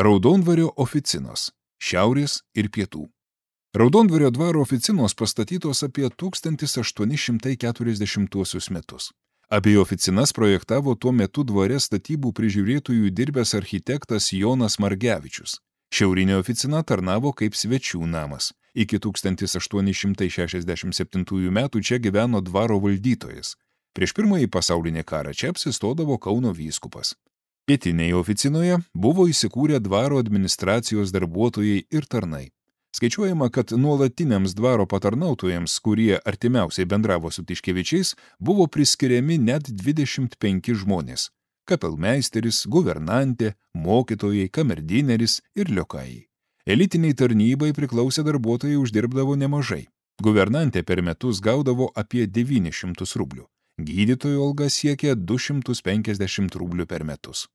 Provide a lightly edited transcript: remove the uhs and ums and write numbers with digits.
Raudondvario oficinos – šiaurės ir pietų. Raudondvario dvaro oficinos pastatytos apie 1840 metus. Apie oficinas projektavo tuo metu dvare statybų prižiūrėtojų dirbęs architektas Jonas Margevičius. Šiaurinė oficina tarnavo kaip svečių namas. Iki 1867 metų čia gyveno dvaro valdytojas. Prieš pirmąjį pasaulinį karą čia apsistodavo Kauno vyskupas. Pietinėje oficinoje buvo įsikūrę dvaro administracijos darbuotojai ir tarnai. Skaičiuojama, kad nuolatiniams dvaro patarnautojams, kurie artimiausiai bendravo su Tiškevičiais, buvo priskiriami net 25 žmonės – kapelmeisteris, guvernantė, mokytojai, kamerdineris ir liokajai. Elitiniai tarnybai priklausę darbuotojai uždirbdavo nemažai. Guvernantė per metus gaudavo apie 900 rublių. Gydytojo alga siekė 250 rublių per metus.